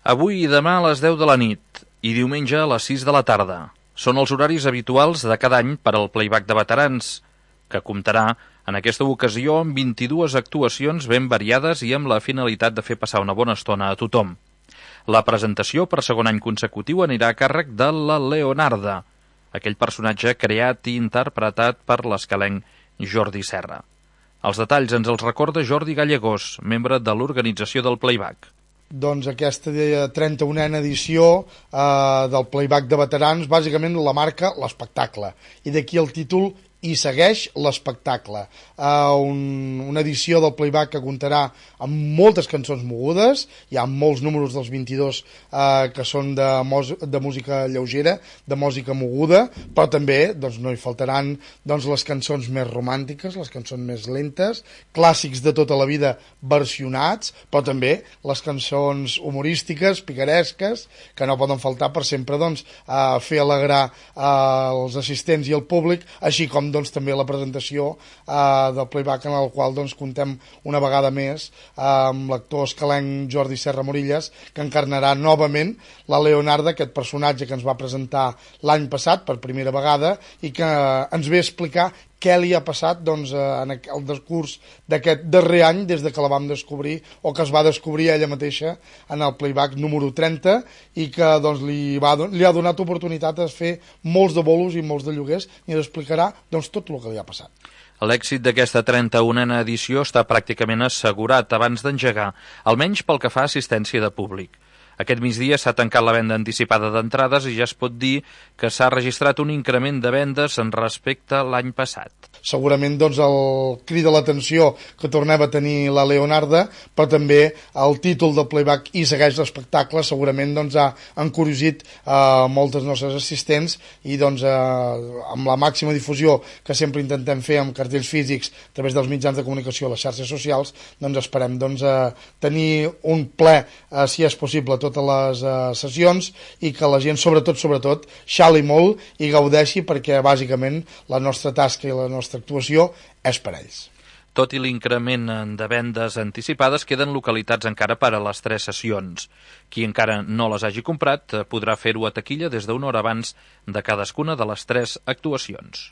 Avui i demà a les 10 de la nit i diumenge a les 6 de la tarda. Són els horaris habituals de cada any per al Playback de Veterans, que comptarà en aquesta ocasió amb 22 actuacions ben variades i amb la finalitat de fer passar una bona estona a tothom. La presentació per segon any consecutiu anirà a càrrec de la Leonarda, aquell personatge creat i interpretat per l'escalenc Jordi Serra. Els detalls ens els recorda Jordi Gallegós, membre de l'organització del Playback. Doncs aquesta 31a edició del Playback de Veterans, bàsicament la marca l'espectacle, i d'aquí el títol I segueix l'espectacle. Una edició del Playback que comptarà amb moltes cançons mogudes, hi ha molts números dels 22 que són de música lleugera, de música moguda, però també doncs, no hi faltaran doncs, les cançons més romàntiques, les cançons més lentes, clàssics de tota la vida versionats, però també les cançons humorístiques, picaresques, que no poden faltar per sempre doncs, fer alegrar els assistents i el públic, així com doncs, també la presentació del Playback en el qual doncs, comptem una vegada més amb l'actor escalenc Jordi Serra Morillas, que encarnarà novament la Leonarda, aquest personatge que ens va presentar l'any passat per primera vegada i que ens ve a explicar què li ha passat doncs, en el decurs d'aquest darrer any des de que la vam descobrir o que es va descobrir ella mateixa en el Playback número 30 i que doncs, li ha donat oportunitat de fer molts de bolos i molts de lloguers i ens explicarà doncs, tot el que li ha passat. L'èxit d'aquesta 31a edició està pràcticament assegurat abans d'engegar, almenys pel que fa a assistència de públic. Aquest migdia s'ha tancat la venda anticipada d'entrades i ja es pot dir que s'ha registrat un increment de vendes en respecte a l'any passat. Segurament doncs, el crida l'atenció que tornem a tenir la Leonarda, però també el títol del Playback I segueix l'espectacle segurament doncs, ha encuriosit moltes nostres assistents i doncs, amb la màxima difusió que sempre intentem fer amb cartells físics a través dels mitjans de comunicació a les xarxes socials, doncs esperem doncs, tenir un ple, si és possible, totes les sessions i que la gent sobretot xali molt i gaudeixi perquè bàsicament la nostra tasca i la nostra actuació és per ells. Tot i l'increment de vendes anticipades, queden localitats encara per a les 3 sessions. Qui encara no les hagi comprat podrà fer-ho a taquilla des d'una hora abans de cadascuna de les 3 actuacions.